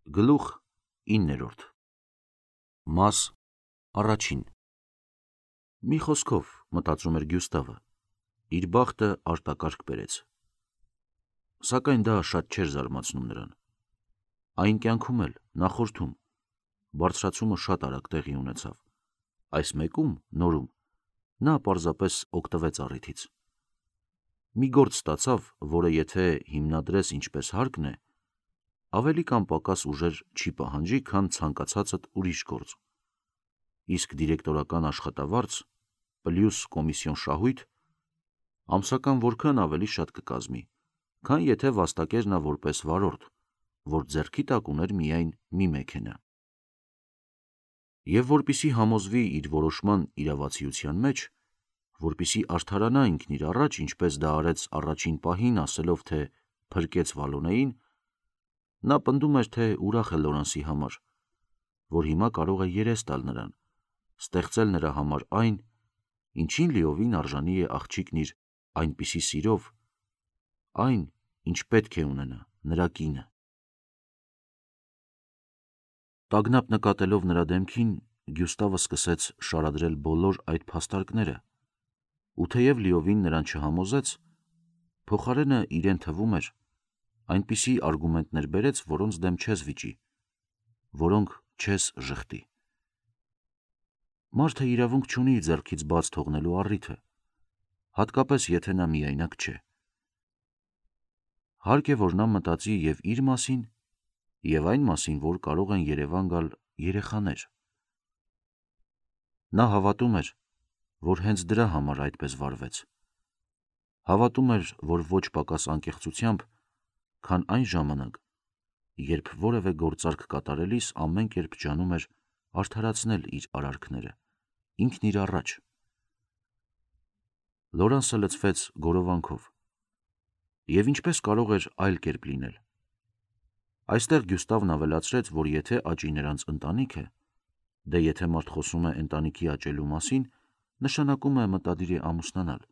Գլուխ 9. Մաս առաջին. Մի խոսքով, մտածում էր Գյուստավը, իր բախտը արտակարգ բերեց։ Սակայն դա շատ չէր զարմացնում նրան։ Այն կյանքում էլ, նախորդում, բարձրացումը շատ արագ տեղի ունեցավ։ Այս մեկում, նորում, նա պարզապես օգտվեց առիթից։ Մի գործ ստացավ, որը եթե հիմնադրես ինչպես հարկն է, ավելի կամ պակաս ուժեր չի պահանջի, քան ցանկացածդ ուրիշ գործ։ Իսկ դիրեկտորական աշխատավարձ, պլյուս կոմիսիոն շահույթ, ամսական որքան ավելի շատ կկազմի, քան եթե վաստակեր նա որպես վարորդ, որ ձեռքի տակ ուներ միայն մի մեքենա։ Եվ որպեսզի համոզվի իր որոշման իրավացիության մեջ, որպեսզի արդարանա ինքն իր առաջ, ինչպես դա արեց առաջին պահին, ասելով, թե փրկեց Վալոնեին, նա պնդում էր, թե ուրախ է Լորանսի համար, որ հիմա կարող է երես տալ նրան, ստեղծել նրա համար այն, ինչին լիովին արժանի է աղջիկն իր այնպիսի սիրով, այն, ինչ պետք է ունենա նրա կինը։ Տագնապ նկատելով նրա դեմքին, Գյուստավը սկսեց շարադրել բոլոր այդ փաստարկները, ու թեև լիովին նրան չհամոզեց, փոխարենը իրեն թվում էր, այնպիսի արգումենտներ բերեց, որոնց դեմ չես վիճի, որոնք չես ժխտի։ Մարդը իրավունք չունի իր ձեռքից բաց թողնելու առիթը, հատկապես եթե նա միայնակ չէ։ Հարկ է, որ նա մտածի և իր մասին, և այն մասին, որ կարող են Երևան գալ երեխաներ։ Նա հավատում էր, որ հենց դրա համար այդպես վարվեց։ Հավատում էր, որ ոչ պակաս անկեղծությամբ, քան այն ժամանակ, երբ որևէ գործարք կատարելիս ամեն կերպ ջանում էր արդարացնել իր արարքները, ինքն իր առաջ։ Լորանսը լցվեց գորովանքով։ Եվ ինչպես կարող էր այլ կերպ լինել։ Այստեղ Գյուստավն ավելացրեց, որ եթե աճի նրանց ընտանիքը, դե եթե մարդ խոսում է ընտանիքի աճելու մասին, նշանակում է մտադիր է ամուսնանալ,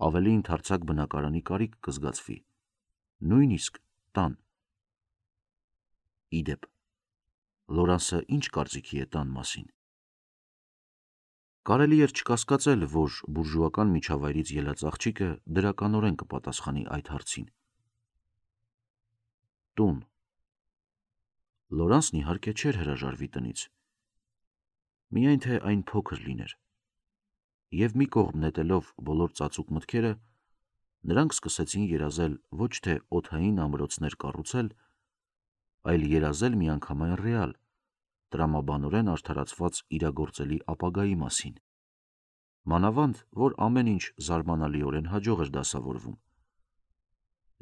ավելի ընդարձակ բնակարանի կարիք կզգացվի, նույնիսկ տան։ Իդեպ, Լորանսը ինչ կարծիքի է տան մասին։ Կարելի էր չկասկածել, որ բուրժուական միջավայրից ելած աղջիկը դրականորեն կպատասխանի այդ հարցին։ Տուն։ Լորանսն իհարկե չէր հրաժարվի տնից։ Միայն թե այն փոքր լիներ։ Եվ մի կողմ նետելով բոլոր ծածուկ մտքերը, նրանք սկսեցին երազել ոչ թե օդային ամրոցներ կառուցել, այլ երազել միանգամայն ռեալ, տրամաբանորեն արդարացված իրագործելի ապագայի մասին։ Մանավանդ, որ ամեն ինչ զարմանալիորեն հաջող էր դասավորվում։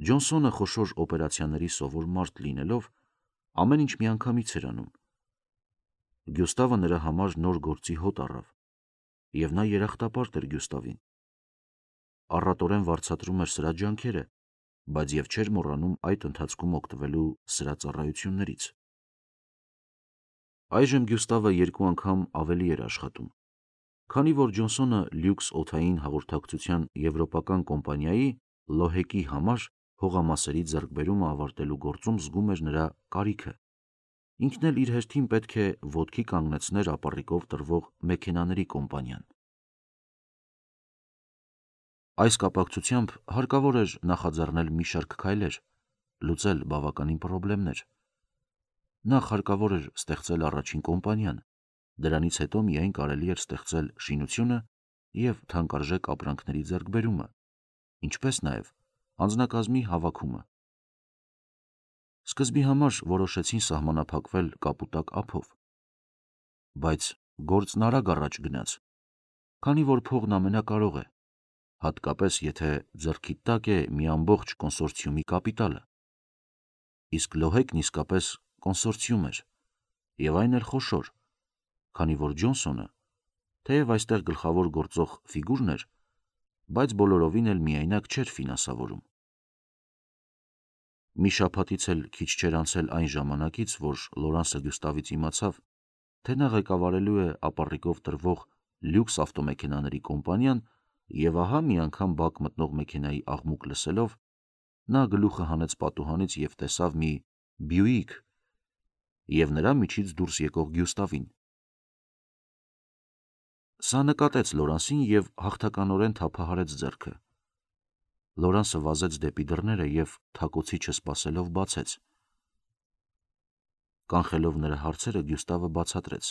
Ջոնսոնը խոշոր օպերացիաների սովոր մարդ լինելով, ամեն ինչ միանգամից էր անում։ Գյուստավը նրա համար նոր գործի հոտ առավ, և նա երախտապարտ էր Գյուստավին։ Առատորեն վարձատրում էր սրա ջանքերը, բայց և չէր մոռանում այդ ընթացքում օգտվելու սրա ծառայություններից։ Այժմ Գյուստավը 2 անգամ ավելի էր աշխատում, քանի որ Ջոնսոնը լյուքս օդային հաղորդակցության եվրոպական կոմպանիայի Լոհեկի համար հողամասերի ձեռքբերումը ավարտելու գործում զգում էր նրա կարիքը։ Ինքն էլ իր հերթին պետք է ոտքի կանգնեցներ ապառիկով տրվող մեքենաների կոմպանիան։ Այս կապակցությամբ հարկավոր էր նախաձեռնել մի շարք քայլեր, լուծել բավականին պրոբլեմներ։ Նախ հարկավոր էր ստեղծել առաջին կոմպանիան, դրանից հետո միայն կարելի էր ստեղծել շինությունը և թանկարժեք ապրանքների ձեռքբերումը, ինչպես նաև անձնակազմի հավաքումը։ Սկզբի համար որոշեցին սահմանափակվել կապուտակ ափով, բայց գործն արագ առաջ գնաց, քանի որ փողն ամենակարող է, հատկապես եթե ձեռքիդ տակ է մի ամբողջ կոնսորցիումի կապիտալը։ Իսկ Լոհեկն իսկապես կոնսորցիում էր, և այն էլ խոշոր, քանի որ Ջոնսոնը, թեև այստեղ գլխավոր գործող ֆիգուրն էր, բայց բոլորովին էլ միայնակ չէր ֆինանսավորում։ Մի շաբաթից էլ քիչ չէր անցել այն ժամանակից, որ Լորանսը Գյուստավից իմացավ, թե նա ղեկավարելու է ապառիկով տրվող լյուքս ավտոմեքենաների կոմպանիան, և ահա մի անգամ բակ մտնող մեքենայի աղմուկ լսելով, նա գլուխը հանեց պատուհանից և տեսավ մի Բյուիկ, և նրա միջից դուրս եկող Գյուստավին։ Սա նկատեց Լորանսին և հաղթականորեն թափահարեց ձեռքը։ Լորանսը վազեց դեպի դռները և թակոցի չսպասելով բացեց։ Կանխելով նրա հարցերը Գյուստավը բացատրեց.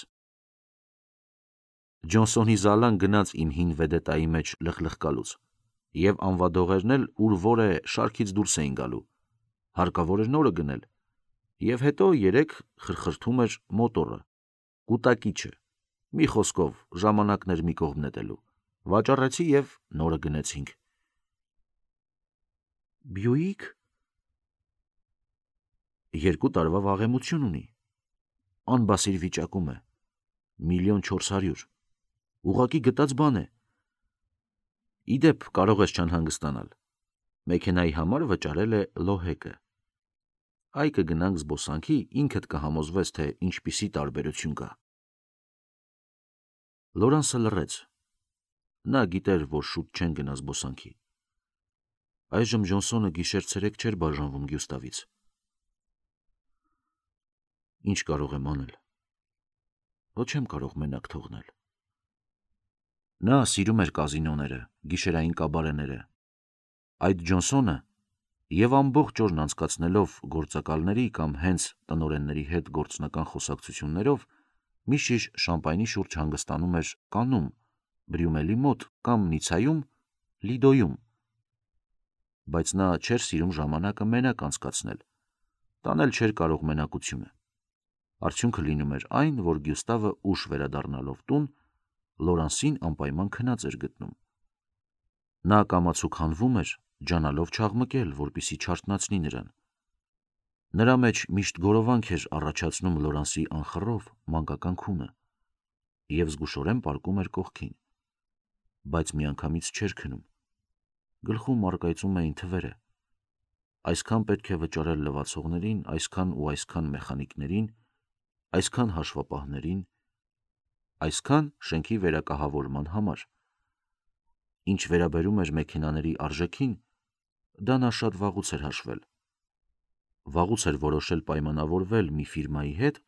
Ջոնսոնի զալան գնաց իմ հին վեդետայի մեջ լխլխկալուց, և անվադողերն էլ ուր որ է շարքից դուրս էին գալու, հարկավոր էր նորը գնել, և հետո երեկ խրխրթում էր մոտորը, կուտակիչը, մի խոսքով ժամանակներ մի կողմ նետելու, վաճառեցի և նորը գնեցինք։ Բյուիկ 2 տարվա վաղեմություն ունի, անբասիր վիճակում է, 1,400,000, ուղղակի գտած բան է։ Իդեպ կարող ես չանհանգստանալ, մեքենայի համար վճարել է Լոհեկը։ Այ կգնանք զբոսանքի, ինքդ կհամոզվես, թե ինչպիսի տարբերություն կա։ Լորանսը լռեց։ Նա գիտեր, որ շուտ չեն գնա զբոսանքի։ Այժմ Ջոնսոնը գիշեր-ցերեկ չէր բաժանվում Գյուստավից։ Ինչ կարող եմ անել։ Ոչ չեմ կարող մենակ թողնել։ Նա սիրում էր կազինոները, գիշերային կաբարեները։ Այդ Ջոնսոնը և ամբողջ օրն անցկացնելով գործակալների կամ հենց տնօրենների հետ գործնական խոսակցություններով մի շիշ շամպայնի շուրջ հանգստանում էր Կաննում, Բրյումելի մոտ կամ Նիցայում, Լիդոյում։ Բայց նա չէր սիրում ժամանակը մենակ անցկացնել, տանել չէր կարող մենակությունը։ Արդյունքը լինում էր այն, որ Գյուստավը ուշ վերադառնալով տուն, Լորանսին անպայման քնած էր գտնում։ Նա կամացուկ հանվում էր, ջանալով չաղմկել, որպեսզի չարթնացնի նրան։ Նրա մեջ միշտ գորովանք էր առաջացնում Լորանսի անխռով, մանկական քունը, և զգուշորեն պառկում էր կողքին, բայց միանգամից չէր քնում։ Գլխում առկայծում էին թվերը. այսքան պետք է վճարել լվացողներին, այսքան ու այսքան մեխանիկներին, այսքան հաշվապահներին, այսքան շենքի վերակահավորման համար։ Ինչ վերաբերում էր մեքենաների արժեքին, դա նա շատ վաղուց էր հաշվել։ Վաղուց էր որոշել պայմանավորվել մի ֆիրմայի հետ,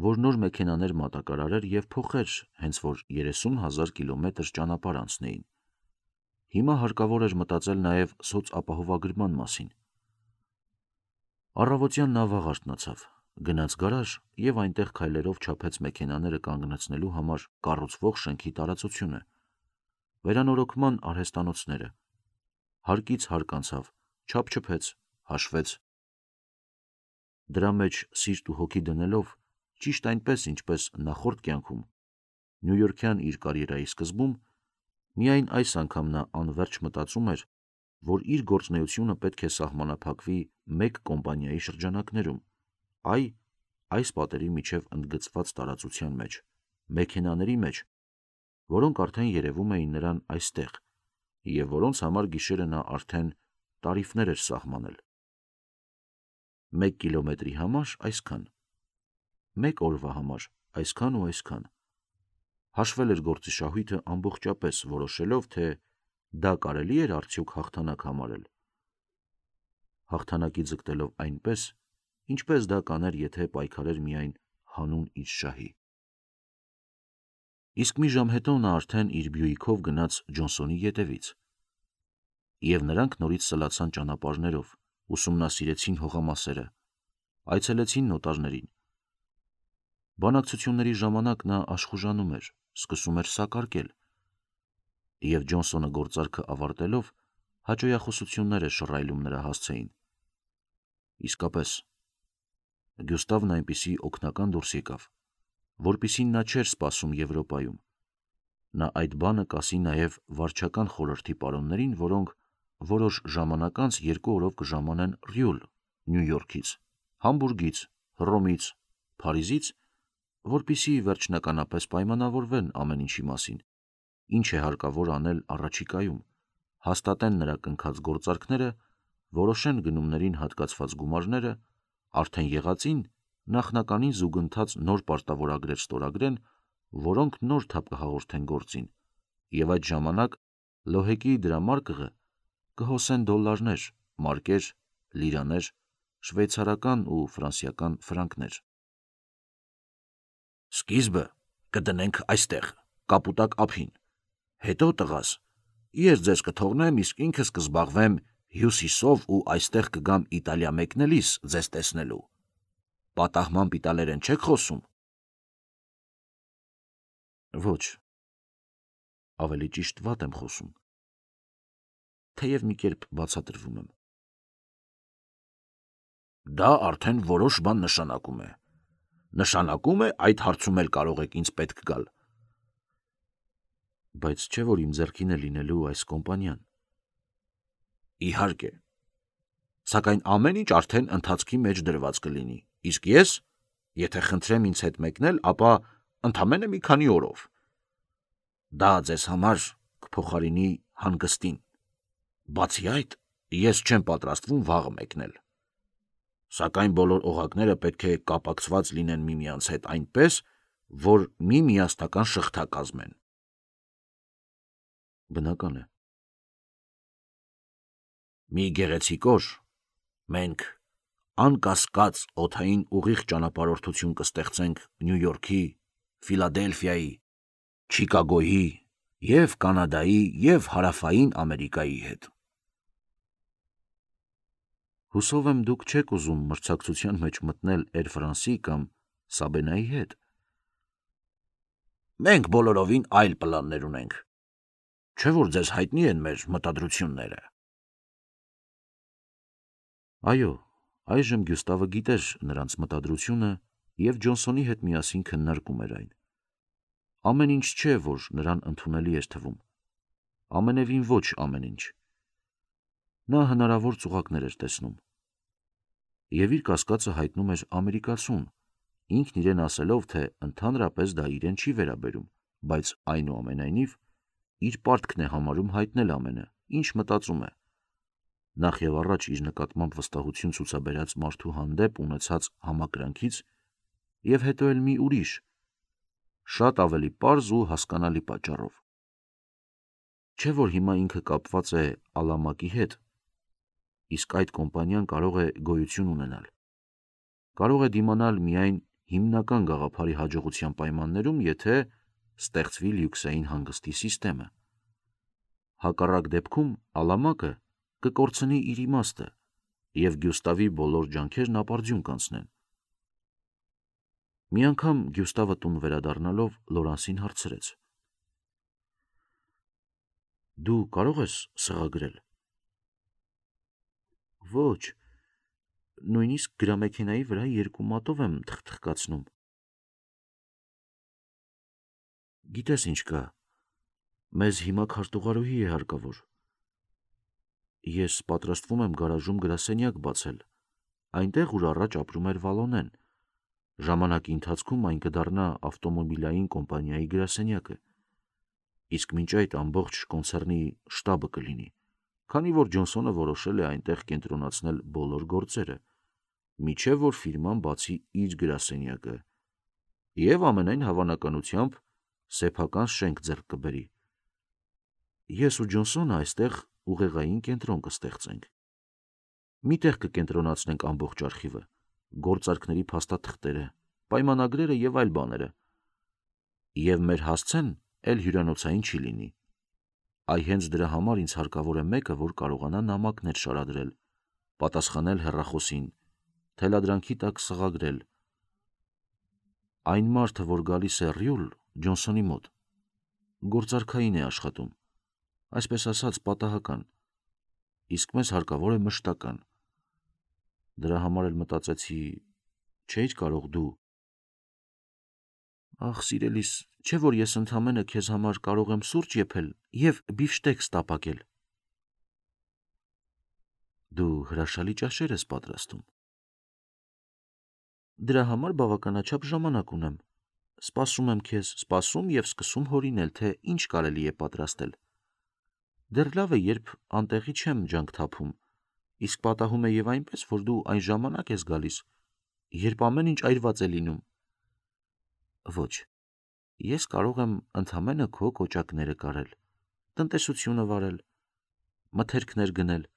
որ նոր մեքենաներ մատակարարեր և փոխեր, հենց որ 30,000 կիլոմետր ճանապարհ անցնեին։ Հիմա հարկավոր էր մտածել նաև սոցապահովագրման մասին։ Առավոտյան նա վաղ արթնացավ, գնաց գարաժ և այնտեղ քայլերով չափեց մեքենաները կանգնեցնելու համար կառուցվող շենքի տարածությունը, վերանորոգման արհեստանոցները, հարկից հարկ անցավ, չափչփեց, հաշվեց։ Դրա մեջ սիրտ ու հոգի դնելով, ճիշտ այնպես, ինչպես նախորդ կյանքում, նյույորքյան իր կարիերայի սկզբում, միայն այս անգամ նա անվերջ մտածում էր, որ իր գործունեությունը պետք է սահմանափակվի մեկ կոմպանիայի շրջանակներում, այս պատերի միջև ընդգծված տարածության մեջ, մեքենաների մեջ, որոնք արդեն երևում էին նրան այստեղ, և որոնց համար գիշերը նա արդեն տարիֆներ էր սահմանել։ 1 կիլոմետրի համար այսքան, 1 օրվա համար այսքան ու այսքան։ Հաշվել էր գործի շահույթը ամբողջապես, որոշելով, թե դա կարելի էր արդյոք հաղթանակ համարել։ Հաղթանակի ձգտելով այնպես, ինչպես դա կաներ, եթե պայքարեր միայն հանուն իր շահի։ Իսկ մի ժամ հետո նա արդեն իր Բյուիկով գնաց Ջոնսոնի ետևից, և նրանք նորից սլացան ճանապարհներով, ուսումնասիրեցին հողամասերը, այցելեցին նոտարներին։ Բանակցությունների ժամանակ նա աշխուժանում էր, սկսում էր սակարկել, և Ջոնսոնը գործարքը ավարտելով հաճոյախոսություններ էր շռայլում նրա հասցեին։ Իսկապես, Գյուստավն այնպիսի օգնական դուրս եկավ, որպիսին նա չէր սպասում Եվրոպայում։ Նա այդ բանը կասի նաև վարչական խորհրդի պարոններին, որոնք որոշ ժամանակ անց 2 օրով կժամանեն Ռյուլ, Նյու Յորքից, Համբուրգից, Հռոմից, Փարիզից, որպեսզի վերջնականապես պայմանավորվեն ամեն ինչի մասին, ինչ է հարկավոր անել առաջիկայում, հաստատեն նրա կնքած գործարքները, որոշեն գնումներին հատկացված գումարները, արդեն եղածին նախնականին զուգընթաց նոր պարտավորագրեր ստորագրեն, որոնք նոր թափ կհաղորդեն գործին, և այդ ժամանակ Լոհեկի դրամարկղը կհոսեն դոլլարներ, մարկեր, լիրաներ, շվեյցարական ու ֆրանսիական ֆրանկներ։ Սկիզբը կդնենք այստեղ, կապուտակ ափին, հետո տղաս, ես ձեզ կթողնեմ, իսկ ինքս կզբաղվեմ հյուսիսով ու այստեղ կգամ Իտալիա մեկնելիս ձեզ տեսնելու։ Պատահմամբ իտալերեն չեք խոսում։ Ոչ, ավելի ճիշտ վատ եմ խոսում, թեև մի կերպ բացատրվում եմ։ Դա արդեն որոշ բան նշանակում է։ Նշանակում է, այդ հարցում էլ կարող եք ինձ պետք գալ։ Բայց չէ՞ որ իմ ձեռքին է լինելու այս կոմպանիան։ Իհարկե։ Սակայն ամեն ինչ արդեն ընթացքի մեջ դրված կլինի, իսկ ես, եթե խնդրեմ ինձ հետ մեկնել, ապա ընդամենը մի քանի օրով։ Դա ձեզ համար կփոխարինի հանգստին։ Բացի այդ, ես չեմ պատրաստվում վաղը մեկնել։ Սակայն բոլոր օղակները պետք է կապակցված լինեն միմյանց հետ այնպես, որ մի միասնական շղթա կազմեն։ Բնական է։ Մի գեղեցիկ օր մենք անկասկած օդային ուղիղ ճանապարհորդություն կստեղծենք Նյու Յորքի, Ֆիլադելֆիայի, Չիկագոյի և Կանադայի և Հարավային Ամերիկայի հետ։ Հուսով եմ դուք չեք ուզում մրցակցության մեջ մտնել Էր Ֆրանսի կամ Սաբենայի հետ։ Մենք բոլորովին այլ պլաններ ունենք։ Չէ՞ որ ձեզ հայտնի են մեր մտադրությունները։ Այո, այժմ Գյուստավը գիտեր նրանց մտադրությունը և Ջոնսոնի հետ միասին քննարկում էր այն։ Ամեն ինչ չէ, որ նրան ընդունելի էր թվում։ Ամենևին ոչ ամեն ինչ։ Նա հնարավոր ծուղակներ էր տեսնում։ Եվ իր կասկածը հայտնում էր ամերիկացուն, ինքն իրեն ասելով, թե ընդհանրապես դա իրեն չի վերաբերում, բայց այնուամենայնիվ իր պարտքն է համարում հայտնել ամենը, ինչ մտածում է։ Նախ եւ առաջ իր նկատմամբ վստահություն ցուցաբերած մարդու հանդեպ ունեցած համակրանքից եւ հետո էլ մի ուրիշ, շատ ավելի պարզ ու հասկանալի պատճառով։ Չէ՞ որ հիմա ինքը կապված է Ալամակի հետ, իսկ այդ կոմպանիան կարող է գոյություն ունենալ։ Կարող է դիմանալ միայն հիմնական գաղափարի հաջողության պայմաններում, եթե ստեղծվի լյուքսային հանգստի սիստեմը։ Հակառակ դեպքում Ալամակը կկորցնի իր իմաստը և Գյուստավի բոլոր ջանքերն ապարդյուն կանցնեն։ Մի անգամ Գյուստավը տուն վերադառնալով Լորանսին հարցրեց. Դու կարող ես սղագրել։ Ոչ, նույնիսկ գրամեքենայի վրա երկու մատով եմ թխթխկացնում։ Գիտես ինչ կա, մեզ հիմա քարտուղարուհի է հարկավոր։ Ես պատրաստվում եմ գարաժում գրասենյակ բացել, այնտեղ ուր առաջ ապրում էր Վալոնեն։ Ժամանակի ընթացքում այն կդառնա ավտոմոբիլային կոմպանիայի գրասենյակը, իսկ մինչ այդ ամբողջ կոնցեռնի շտաբը կլինի, քանի որ Ջոնսոնը որոշել է այնտեղ կենտրոնացնել բոլոր գործերը, մինչև որ ֆիրման բացի իր գրասենյակը և ամենայն հավանականությամբ սեփական շենք ձեռք կբերի։ Ես ու Ջոնսոնը այստեղ ուղեղային կենտրոն կստեղծենք։ Մի տեղ կկենտրոնացնենք ամբողջ արխիվը, գործարքների փաստաթղթերը, պայմանագրերը և այլ բաները։ Եվ մեր հասցեն էլ հյուրանոցային չի լինի։ Այ հենց դրա համար ինձ հարկավոր է մեկը, որ կարողանա նամակներ շարադրել, պատասխանել հեռախոսին, թելադրանքի տակ սղագրել։ Այն մարդը, որ գալիս է Ռյուլ, Ջոնսոնի մոտ, գործարքային է աշխատում, այսպես ասած պատահական, իսկ մեզ հարկավոր է մշտական։ Դրա համար էլ մտածեցի, չէիր կարող դու։ Ախ, սիրելիս, չէ՞ որ ես ընդամենը քեզ համար կարող եմ սուրճ եփել և բիֆշտեքս տապակել։ Դու հրաշալի ճաշեր ես պատրաստում։ Դրա համար բավականաչափ ժամանակ ունեմ։ Սպասում եմ քեզ, սպասում և սկսում հորինել, թե ինչ կարելի է պատրաստել։ Դեռ լավ է, երբ անտեղի չեմ ջանք թափում, իսկ պատահում է և այնպես, որ դու այն ժամանակ ես գալիս, երբ ամեն ինչ այրված է լինում։ Ոչ, ես կարող եմ ընդամենը քո կոճակները կարել, տնտեսությունը վարել, մթերքներ գնել,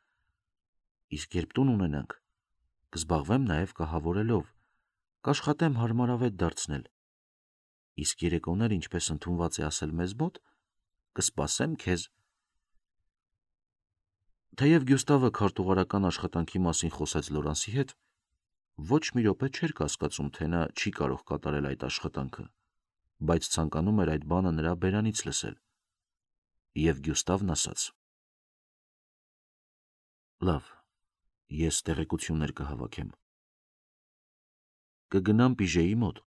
իսկ երբ տուն ունենանք, կզբաղվեմ նաև կահավորելով, կաշխատեմ հարմարավետ դարձնել։ Իսկ երեկոներ, ինչպես ընդունված է ասել մեզ մոտ, կսպասեմ քեզ։ Թեև Գյուստավը քարտուղարական աշխատանքի մասին խոսեց Լորանսի հետ, ոչ մի րոպե չէր կասկածում, թե նա չի կարող կատարել այդ աշխատանքը, բայց ցանկանում էր այդ բանը նրա բերանից լսել։ Եվ Գյուստավն ասաց. Լավ, ես տեղեկություններ կհավաքեմ։ Կգնամ Պիժեի մոտ։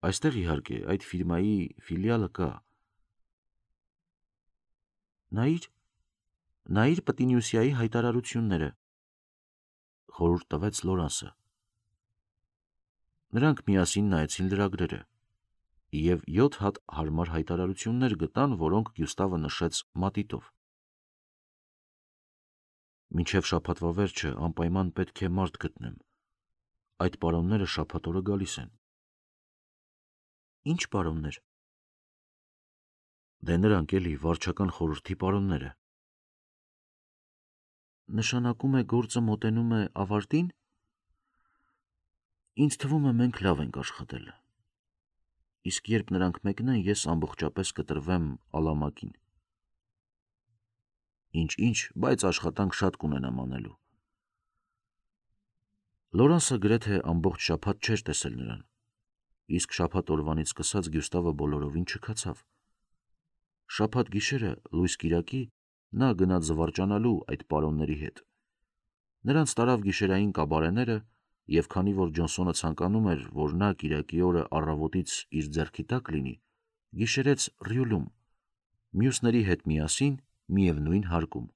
Այստեղ իհարկե այդ ֆիրմայի ֆիլիալը կա։ Նայիր Պտինյուսյայի հայտարարությունները, խորհուրդ տվեց Լորանսը։ Նրանք միասին նայեցին լրագրերը և 7 հատ հարմար հայտարարություններ գտան, որոնք Գյուստավը նշեց մատիտով։ Մինչև շաբաթվա վերջը անպայման պետք է մարդ գտնեմ։ Այդ պարոնները շաբաթ օրը գալիս են։ Ինչ պարոններ։ Դե նրանք էլի վարչական խորհրդի պարոնները։ Նշանակում է գործը մոտենում է ավարտին։ Ինձ թվում է մենք լավ ենք աշխատել։ Իսկ երբ նրանք մեկնեն, ես ամբողջապես կտրվեմ Ալամակին։ Ինչ, բայց աշխատանք շատ կունենամ անելու։ Լորանսը գրեթե ամբողջ շաբաթ չէր տեսել նրան, իսկ շաբաթ օրվանից սկսած Գյուստավը բոլորովին չքացավ։ Շաբաթ գիշերը լույս կիրակի նա գնաց զվարճանալու այդ պարոնների հետ։ Նրանց տարավ գիշերային կաբարեները, և քանի որ Ջոնսոնը ցանկանում էր, որ նա կիրակի օրը առավոտից իր ձեռքի տակ լինի, գիշերեց Ռյուլում, մյուսների հետ միասին միևնույն հարկում։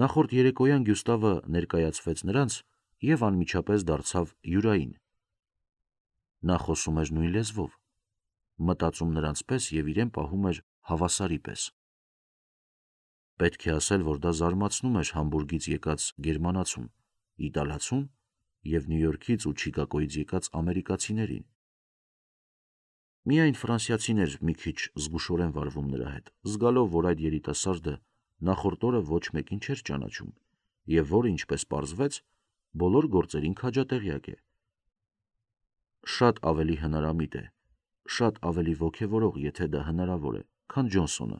Նախորդ երեկոյան Գյուստավը ներկայացվեց նրանց և անմիջապես դարձավ յուրային։ Նա խոսում էր նույն լեզվով, մտածում նրանց պես և իրեն պահում էր հավասարի պես։ Պետք է ասել, որ դա զարմացնում էր Համբուրգից եկած գերմանացուն, իտալացուն և Նյու Յորքից ու Չիկագոյից եկած ամերիկացիներին։ Միայն ֆրանսիացին էր մի քիչ զգուշորեն վարվում նրա հետ, զգալով, որ այդ երիտասարդը նախորդ օրը ոչ մեկին չէր ճանաչում և որ, ինչպես պարզվեց, բոլոր գործերին քաջատեղյակ է։ Շատ ավելի հնարամիտ է, շատ ավելի ոգևորող, եթե դա հնարավոր է, քան Ջոնսոնը։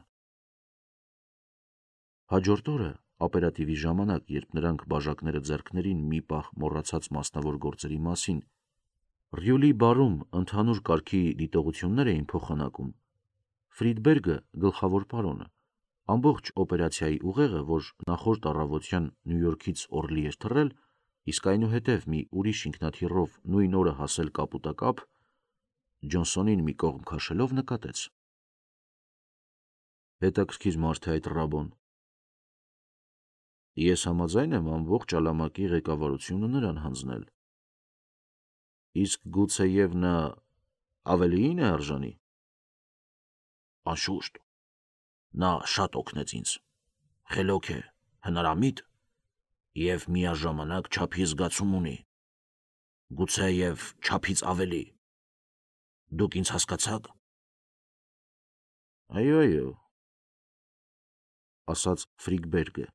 Հաջորդ օրը, օպերատիվի ժամանակ, երբ նրանք բաժակները ձեռքներին մի պահ մոռացած մասնավոր գործերի մասին, Ռյուլի բարում ընդհանուր կարգի դիտողություններ էին փոխանակում, Ֆրիդբերգը, գլխավոր պարոնը, ամբողջ օպերացիայի ուղեղը, որ նախորդ առավոտյան Նյու Յորքից Օրլի էր թռել, իսկ այնուհետև մի ուրիշ ինքնաթիռով նույն օրը հասել կապուտակապ, Ջոնսոնին մի կողմ քաշելով նկատեց. Հետաքրքիր մարդ է այդ Ռաբոն։ Ես համաձայն եմ ամբողջ Ալամակի ղեկավարությունը նրան հանձնել։ Իսկ գուցեև նա ավելիին է արժանի։ Անշուշտ, նա շատ օգնեց ինձ, խելոք է, հնարամիտ և միաժամանակ չափի զգացում ունի, գուցեև չափից ավելի։ Դուք ինձ հասկացա՞ք։ Այո, ասաց Ֆրիդբերգը։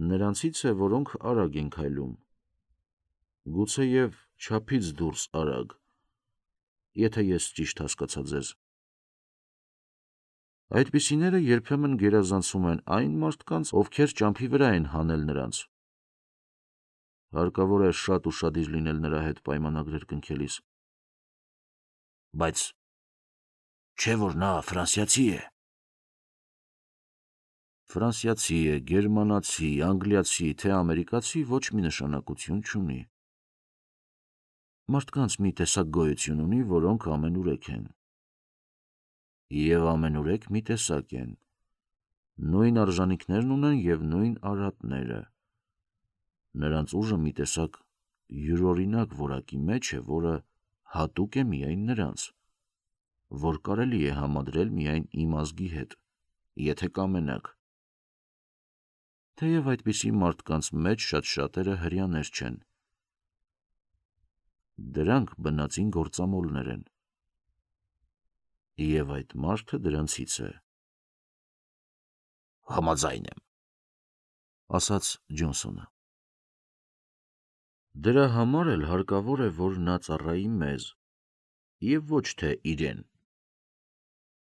Նրանցից է, որոնք արագ են քայլում, գուցեև չափից դուրս արագ, եթե ես ճիշտ հասկացա ձեզ։ Այդպիսիները երբեմն գերազանցում են այն մարդկանց, ովքեր ճամփի վրա են հանել նրանց։ Հարկավոր է շատ ուշադիր լինել նրա հետ պայմանագրեր կնքելիս։ Բայց չէ՞ որ նա ֆրանսիացի է։ Ֆրանսիացի է, գերմանացի, անգլիացի, թե ամերիկացի ոչ մի նշանակություն չունի։ Մարդկանց մի տեսակ գոյություն ունի, որոնք ամենուրեք են։ Եվ ամենուրեք մի տեսակ են։ Նույն արժանինքներն ունեն և նույն արատները։ Նրանց ուժը մի տեսակ յուրօրինակ որակի մեջ է, որը հատուկ է միայն նրանց, որ կարելի է համադրել միայն իմ ազգի հետ, եթե կամենաք։ Թեև այդպիսի մարդկանց մեջ շատ շատերը հրեաներ չեն։ Դրանք բնածին գործամոլներ են։ Եվ այդ մարդը դրանցից է։ Համաձայն եմ, ասաց Ջոնսոնը։ Դրա համար էլ հարկավոր է, որ նա ծառայի մեզ, և ոչ թե իրեն։